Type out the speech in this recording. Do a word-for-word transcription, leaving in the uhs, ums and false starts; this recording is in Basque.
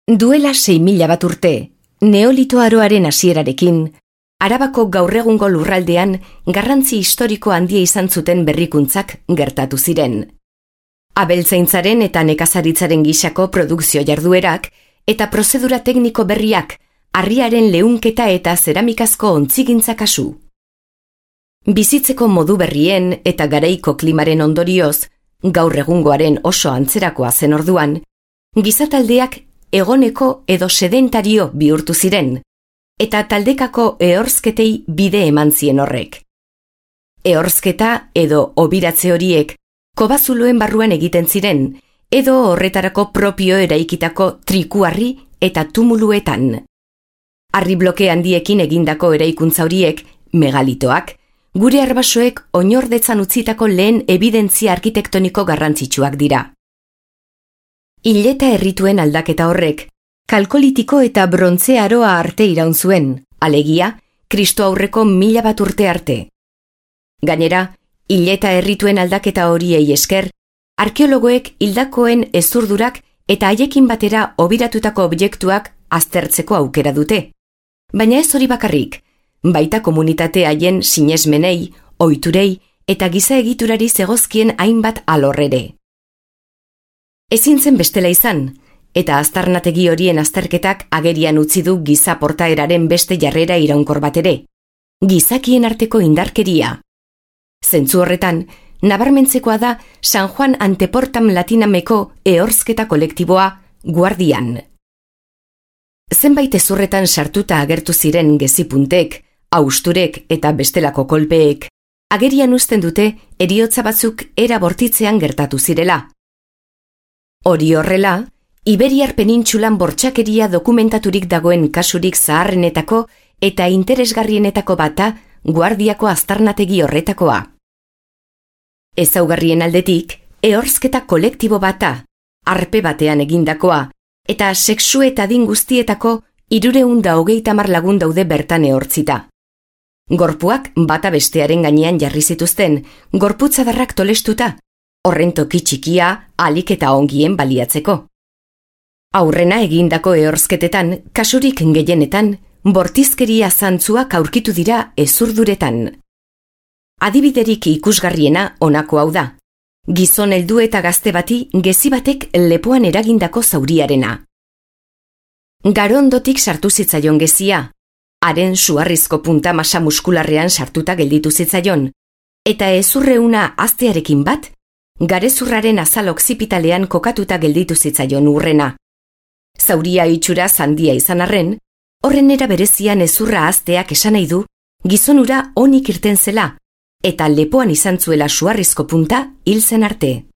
Duela sei mila bat urte, Neolito aroaren hasierarekin, Arabako gaur egungo lurraldean garrantzi historiko handia izan zuten berrikuntzak gertatu ziren. Abeltzaintzaren eta nekazaritzaren gisako produkzio jarduerak eta prozedura tekniko berriak, harriaren leunketa eta zeramikazko ontzigintza kasu. Bizitzeko modu berrien eta garaiko klimaren ondorioz, gaur egungoaren oso antzerakoa zen orduan, gizataldeak egoneko edo sedentario bihurtu ziren, eta taldekako ehorzketei bide eman zien horrek. Ehorzketa edo obiratze horiek kobazuloen barruan egiten ziren, edo horretarako propio eraikitako trikuarri eta tumuluetan. Harri bloke handiekin egindako eraikuntza horiek, megalitoak, gure arbasoek oinordetzan utzitako lehen ebidentzia arkitektoniko garrantzitsuak dira. Hileta errituen aldaketa horrek, kalkolitiko eta brontze aroa arte iraun zuen, alegia, Kristo aurreko mila bat urte arte. Gainera, hileta errituen aldaketa horiei esker, arkeologoek hildakoen ezurdurak eta haiekin batera obiratutako objektuak aztertzeko aukera dute. Baina ez hori bakarrik, baita komunitate haien sinesmenei, ohiturei eta giza egiturari zegozkien hainbat alorrere. Ezin zen bestela izan, eta aztarnategi horien azterketak agerian utzi du giza portaeraren beste jarrera iraunkor bat ere, gizakien arteko indarkeria. Zentzu horretan, nabarmentzekoa da San Juan Anteportam Latinameko ehorzketa kolektiboa Guardian. Zenbait ezurretan sartuta agertu ziren gezipuntek, hausturek eta bestelako kolpeek, agerian uzten dute heriotza batzuk era bortitzean gertatu zirela. Hori horrela, Iberiar penintsulan bortxakeria dokumentaturik dagoen kasurik zaharrenetako eta interesgarrienetako bata Guardiako aztarnategi horretakoa. Ezaugarrien aldetik, ehorzketa kolektibo bata, arpe batean egindakoa, eta sexu eta adin guztietako hirurehun eta hogeita hamar lagun daude bertan ehortzita. Gorpuak bata bestearen gainean jarri zituzten, gorputzadarrak tolestuta, horren toki txikia ahalik eta ongien baliatzeko. Aurrena egindako ehorzketetan, kasurik gehienetan, bortizkeria zantzuak aurkitu dira ezurduretan. Adibiderik ikusgarriena honako hau da. Gizon heldu eta gazte bati gezi batek lepoan eragindako zauriarena. Garondotik sartu zitzaion gezia, haren suharrizko punta masa muskularrean sartuta gelditu zitzaion, eta ezurreuna aztearekin bat, garezurraren azal oksipitalean kokatuta gelditu zitzaion urrena. Zauria itxura zandia izan arren, horren era berezian ezurra azteak esan nahi du, gizonura onik irten zela, eta lepoan izan zuela suharrizko punta hil zen arte.